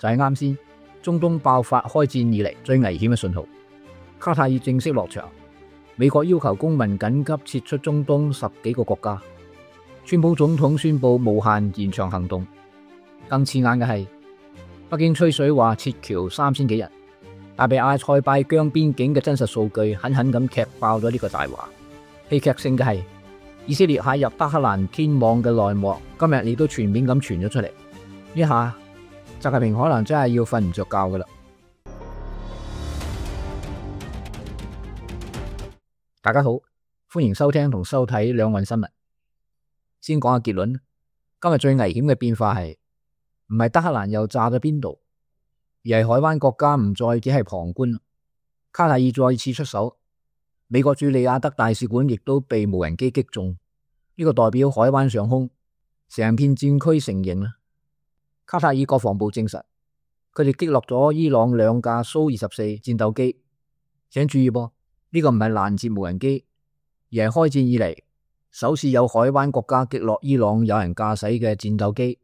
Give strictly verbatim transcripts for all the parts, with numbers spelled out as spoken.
就係啱先中東爆發開戰以嚟最危險嘅信號。卡塔爾正式落場，美國要求公民緊急撤出中東十幾個國家。川普總統宣布無限延長行動。更刺眼嘅係，北京吹水話撤僑三千幾人，但被阿塞拜疆邊境嘅真實數據狠狠咁踢爆咗呢個大話。戲劇性嘅係，以色列蟹入德黑蘭天網嘅內幕，今日亦都全面咁傳咗出嚟。呢下習近平可能真係要瞓唔着覺噶啦。大家好，歡迎收聽同收睇兩岸新聞。先講下結論，今日最危險嘅變化係唔係德黑蘭又炸咗邊度，而係海灣國家唔再只係旁觀，卡塔爾再次出手。美國駐利雅得大使館亦都被無人機擊中，呢個代表海灣上空成片戰區成形啦。卡塔爾國防部證實，佢哋擊落咗伊朗兩架蘇二十四戰鬥機。請注意噃，呢個唔係攔截無人機，而係開戰以嚟首次有海灣國家擊落伊朗有人駕駛嘅戰鬥機。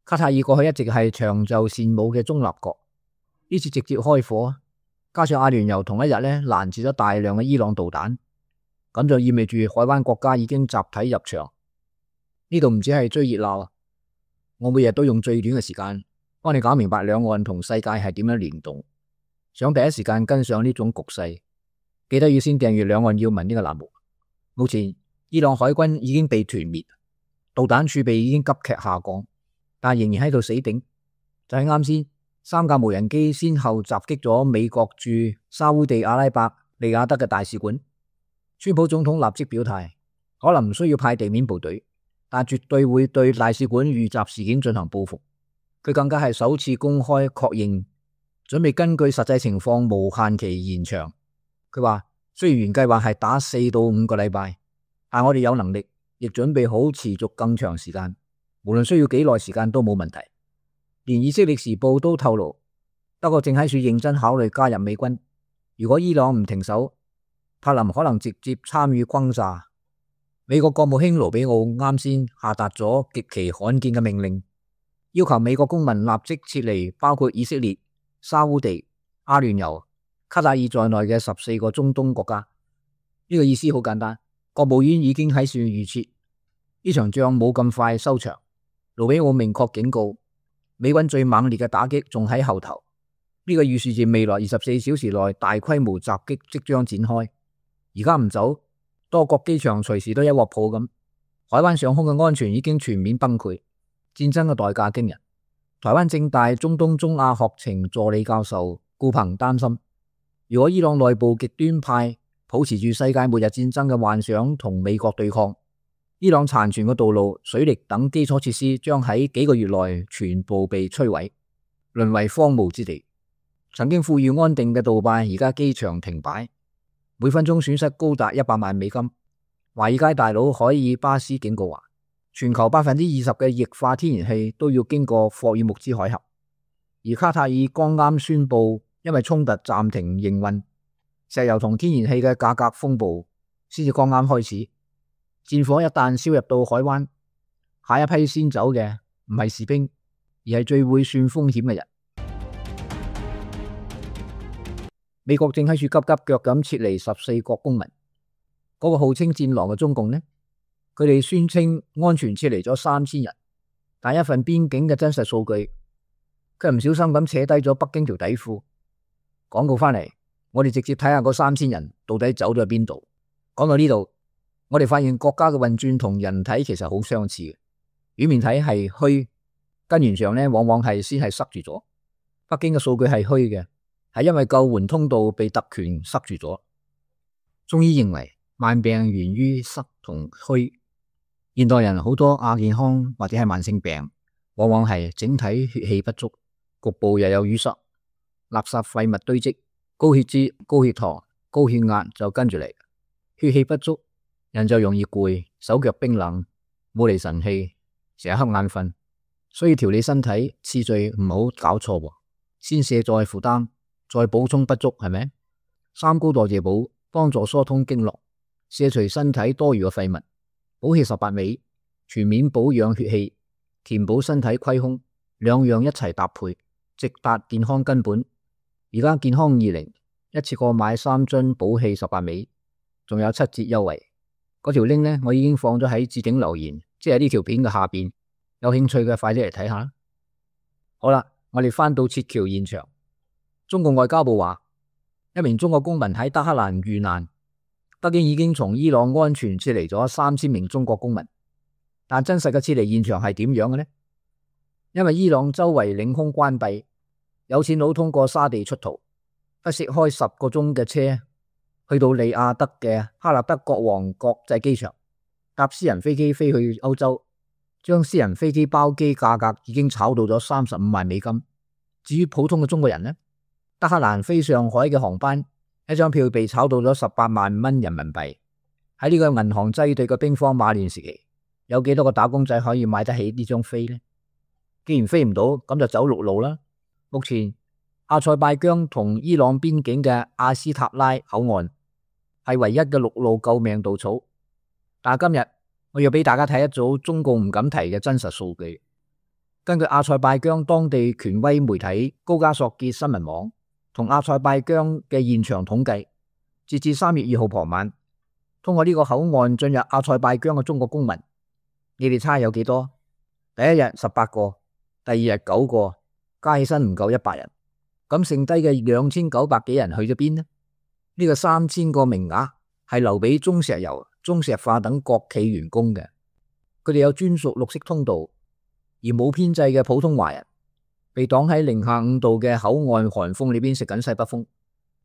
卡塔爾過去一直係長袖善舞嘅中立國，呢次直接開火，加上阿聯酋同一日呢攔截咗大量嘅伊朗導彈，咁就意味住海灣國家已經集體入場。呢度唔止係追熱鬧，我每日都用最短嘅時間幫你搞明白兩岸同世界係點樣聯動。想第一時間跟上呢種局勢，記得要先訂閱兩岸要聞呢個欄目。目前伊朗海軍已經被團滅，導彈儲備已經急劇下降，但仍然喺度死頂。就係啱先，三架無人機先後襲擊咗美國駐沙烏地阿拉伯利雅得嘅大使館。川普總統立即表態，可能唔需要派地面部隊，但絕對會對大使館遇襲事件進行報復。佢更加係首次公開確認，準備根據實際情況無限期延長。佢話雖然原計劃係打四到五個禮拜，但我哋有能力，亦準備好持續更長時間，無論需要幾耐時間都冇問題。連以色列時報都透露，德國正喺處認真考慮加入美軍。如果伊朗唔停手，柏林可能直接參與轟炸。美國國務卿盧比奧啱先下達咗極其罕見嘅命令，要求美國公民立即撤離包括以色列、沙烏地、阿聯酋、卡塔爾在內嘅十四個中東國家。呢個意思好簡單，國務院已經喺處預設呢場仗冇咁快收場。盧比奧明確警告，美軍最猛烈嘅打擊仲喺後頭。呢個預示住未來二十四小時內大規模襲擊即將展開。而家唔走，多國機場隨時都一鑊泡咁。海灣上空嘅安全已經全面崩潰，戰爭嘅代價驚人。台灣政大中東中亞學程助理教授顧鵬擔心，如果伊朗內部極端派保持住世界末日戰爭嘅幻想同美國對抗，伊朗殘存嘅道路、水力等基礎設施將喺幾個月內全部被摧毀，淪為荒蕪之地。曾經富裕安定嘅杜拜而家機場停擺，每分鐘損失高達一百萬美金。華爾街大佬海爾巴斯警告話，全球百分之二十嘅液化天然氣都要經過霍爾木茲海峽。而卡塔爾剛啱宣布因為衝突暫停營運，石油同天然氣嘅價格風暴先至剛啱開始。戰火一旦燒入到海灣，下一批先走嘅唔係士兵，而係最會算風險嘅人。美國正喺處急急腳咁撤離十四國公民。嗰、那個號稱戰狼嘅中共呢，佢哋宣稱安全撤離咗三千人，但一份邊境嘅真實數據，佢唔小心咁扯低咗北京條底褲。廣告翻嚟，我哋直接睇下嗰三千人到底走咗去邊度。講到呢度，我哋發現國家嘅運轉同人體其實好相似嘅，表面睇係虛，根源上呢往往係先係塞住咗。北京嘅數據係虛嘅，係因為救援通道被特權塞住咗。中醫認為慢病源於塞同虛。現代人好多亞健康或者係慢性病，往往係整體血氣不足，局部又有淤塞，垃圾廢物堆積，高血脂、高血糖、高血壓就跟住嚟。血氣不足，人就容易攰，手腳冰冷，冇嚟神氣，成日瞌眼瞓。所以調理身體次序唔好搞錯喎，先卸載負擔，再補充不足，係咪？三高代謝補幫助疏通經絡，卸除身體多餘嘅廢物，補氣十八味，全面保養血氣，填補身體虧空，兩樣一齊搭配，直達健康根本。而家健康二零一次過買三樽補氣十八味，仲有七折優惠。嗰條 link 呢，我已經放咗喺置頂留言，即係呢條片嘅下邊。有興趣嘅快啲嚟睇下。好啦，我哋翻到撤僑現場，中共外交部話，一名中國公民喺德黑蘭遇難，北京已經從伊朗安全撤離咗三千名中國公民。但真實嘅撤離現場係點樣嘅呢？因為伊朗周圍領空關閉，有錢佬通過沙地出逃，不惜開十個鐘嘅車去到利雅德嘅哈立德國王國際機場，搭私人飛機飛去歐洲，將私人飛機包機價格已經炒到咗三十五萬美金。至於普通嘅中國人呢，德黑蘭飛上海嘅航班，一張票被炒到咗十八萬蚊人民幣。喺呢個銀行擠兌嘅兵荒馬亂時期，有幾多個打工仔可以買得起呢張飛呢？既然飛唔到，咁就走陸路啦。目前阿塞拜疆同伊朗邊境嘅阿斯塔拉口岸係唯一嘅陸路救命稻草。但係今日我要俾大家睇一組中共唔敢提嘅真實數據。根據阿塞拜疆當地權威媒體高加索傑新聞網同阿塞拜疆嘅現場統計，截至三月二號傍晚，通過呢個口岸進入阿塞拜疆嘅中國公民，你哋猜有幾多？第一日十八個，第二日九個，加起身唔夠一百人。咁剩低嘅兩千九百幾人去咗邊呢？呢個三千個名額係留俾中石油、中石化等國企員工嘅，佢哋有專屬綠色通道，而冇編制嘅普通華人被擋喺零下五度嘅口岸寒風裏邊食緊西北風。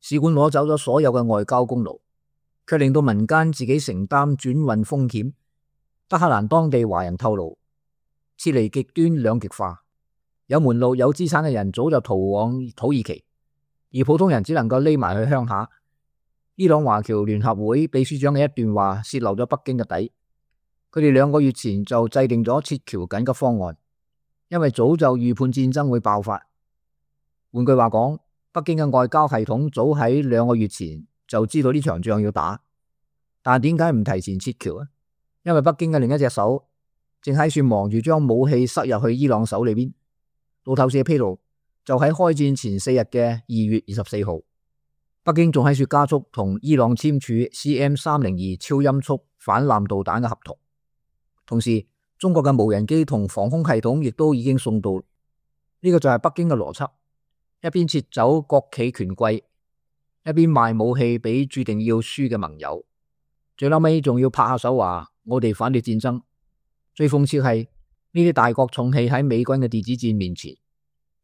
使館攞走咗所有嘅外交功勞，卻令到民間自己承擔轉運風險。德黑蘭當地華人透露，撤離極端兩極化，有門路有資產嘅人早就逃往土耳其，而普通人只能夠匿埋去鄉下。伊朗華僑聯合會秘書長嘅一段話洩漏咗北京嘅底，佢哋兩個月前就制定咗撤僑緊急方案，因為早就預判戰爭會爆發。換句話講，北京嘅外交系統早喺兩個月前就知道呢場仗要打，但點解唔提前撤僑啊？因為北京嘅另一隻手正喺處忙住將武器塞入去伊朗手裏邊。路透社披露，就喺開戰前四日嘅二月二十四號，北京仲喺處加速同伊朗簽署 C M 三零二超音速反艦導彈嘅合同，同時中國嘅無人機同防空系統亦都已經送到。呢個就係北京嘅邏輯，一邊撤走國企權貴，一邊賣武器俾注定要輸嘅盟友，最後尾仲要拍下手話我哋反對戰爭。最諷刺係呢啲大國重器喺美軍嘅電子戰面前，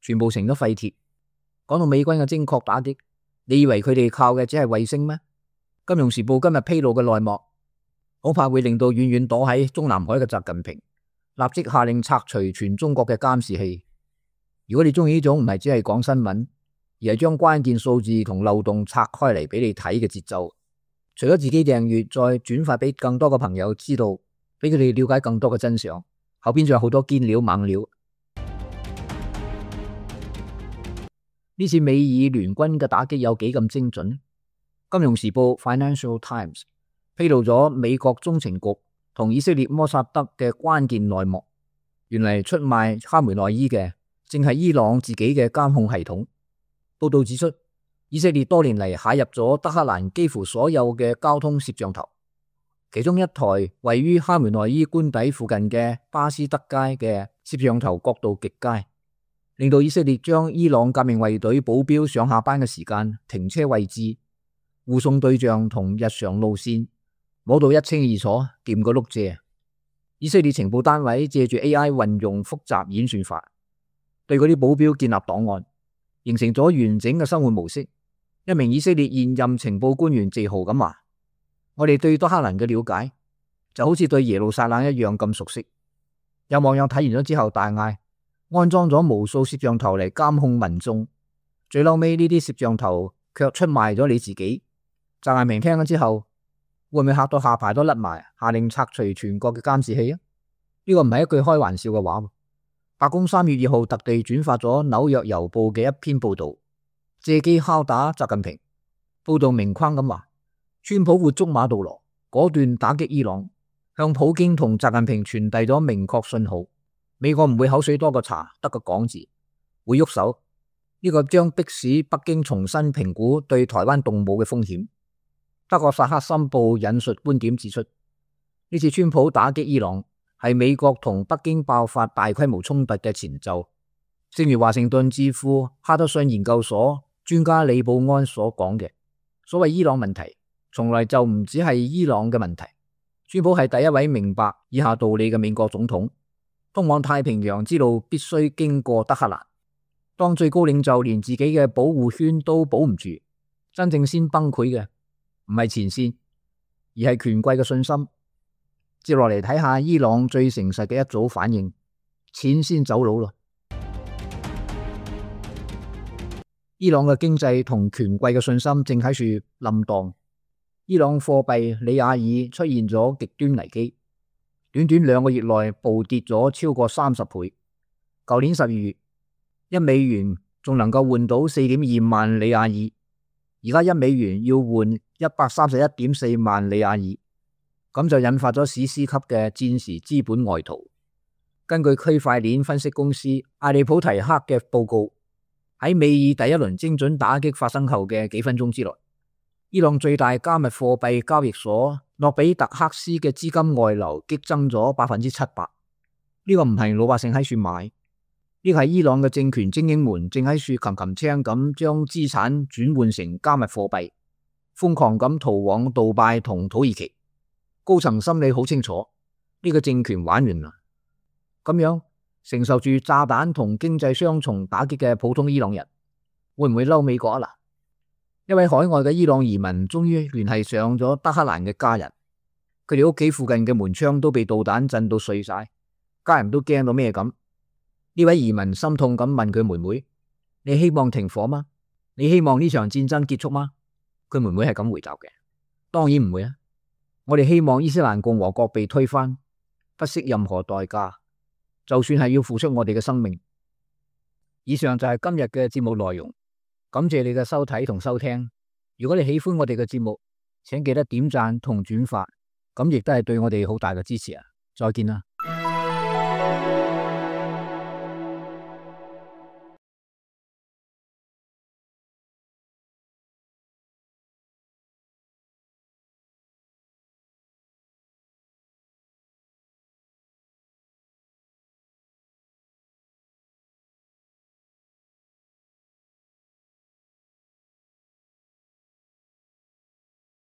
全部成咗廢鐵。講到美軍嘅精確打擊，你以為佢哋靠嘅只係衛星咩？金融時報今日披露嘅內幕，恐怕會令到遠遠躲喺中南海嘅習近平立即下令拆除全中國嘅監視器。如果你中意呢種唔係只係講新聞，而係將關鍵數字同漏洞拆開嚟俾你睇嘅節奏，除咗自己訂閱，再轉發俾更多嘅朋友知道，俾佢哋了解更多嘅真相，後邊仲有好多堅料猛料。呢次美以聯軍嘅打擊有幾咁精準？金融時報 Financial Times 披露咗美國中情局同以色列摩薩德嘅關鍵內幕，原嚟出賣哈梅內伊嘅正係伊朗自己嘅監控系統。報道指出，以色列多年嚟駭入咗德黑蘭幾乎所有嘅交通攝像頭，其中一台位於哈梅內伊官邸附近嘅巴斯德街嘅攝像頭角度極佳，令到以色列將伊朗革命衛隊保鏢上下班嘅時間、停車位置、護送對象同日常路線摸到一清二楚，掂個碌蔗。以色列情報單位借住 A I 運用複雜演算法，對嗰啲保鏢建立檔案，形成咗完整嘅生活模式。一名以色列現任情報官員自豪咁話：我哋對德黑蘭嘅了解就好似對耶路撒冷一樣咁熟悉。有網友睇完咗之後大嗌：安裝咗無數攝像頭嚟監控民眾，最嬲尾呢啲攝像頭卻出賣咗你自己。習近平聽咗之後，會唔會嚇到下巴都甩埋，下令拆除全國嘅監視器啊？呢個唔係一句開玩笑嘅話。白宮三月二號特地轉發咗紐約郵報嘅一篇報道，借機敲打習近平。報道明框咁話：川普活捉馬杜羅，果斷打擊伊朗，向普京同習近平傳遞咗明確信號。美國唔會口水多過茶，得個講字，會喐手，呢個將迫使北京重新評估對台灣動武嘅風險。德國薩克森報引述觀點指出，呢次川普打擊伊朗係美國同北京爆發大規模衝突嘅前奏。正如華盛頓智庫哈德遜研究所專家李布安所講嘅，所謂伊朗問題從來就唔只係伊朗嘅問題。川普係第一位明白以下道理嘅美國總統。通往太平洋之路必須經過德黑蘭。當最高領袖連自己嘅保護圈都保唔住，真正先崩潰嘅唔係前線，而係權貴嘅信心。接落嚟睇下伊朗最誠實嘅一組反應：錢先走佬咯。伊朗嘅經濟同權貴嘅信心正喺處冧蕩。伊朗貨幣里亞爾出現咗極端危機，短短兩個月內暴跌咗超過三十倍。舊年十二月，一美元仲能夠換到四點二萬里亞爾，而家一美元要換一百三十一點四萬里亞爾，咁就引發咗史詩級嘅戰時資本外逃。根據區塊鏈分析公司艾利普提克嘅報告，喺美爾第一輪精準打擊發生後嘅幾分鐘之內，伊朗最大加密貨幣交易所諾比特克斯嘅資金外流激增咗百分之七百。呢個唔係老百姓喺處買，呢個係伊朗嘅政權精英們正喺處擒擒青咁將資產轉換成加密貨幣，瘋狂咁逃往杜拜同土耳其。高層心理好清楚，呢個政權玩完啦。咁樣承受住炸彈同經濟雙重打擊嘅普通伊朗人，會唔會嬲美國啊？嗱，一位海外嘅伊朗移民終於聯繫上咗德黑蘭嘅家人，佢哋屋企附近嘅門窗都被導彈震到碎晒，家人都驚到咩咁。呢位移民心痛咁問佢妹妹：你希望停火嗎？你希望呢場戰爭結束嗎？佢妹妹係咁回答嘅：當然唔會啊！我哋希望伊斯蘭共和國被推翻，不惜任何代價，就算係要付出我哋嘅生命。以上就係今日嘅節目內容，感謝你嘅收睇同收聽。如果你喜歡我哋嘅節目，請記得點讚同轉發，咁亦都係對我哋好大嘅支持啊！再見啦！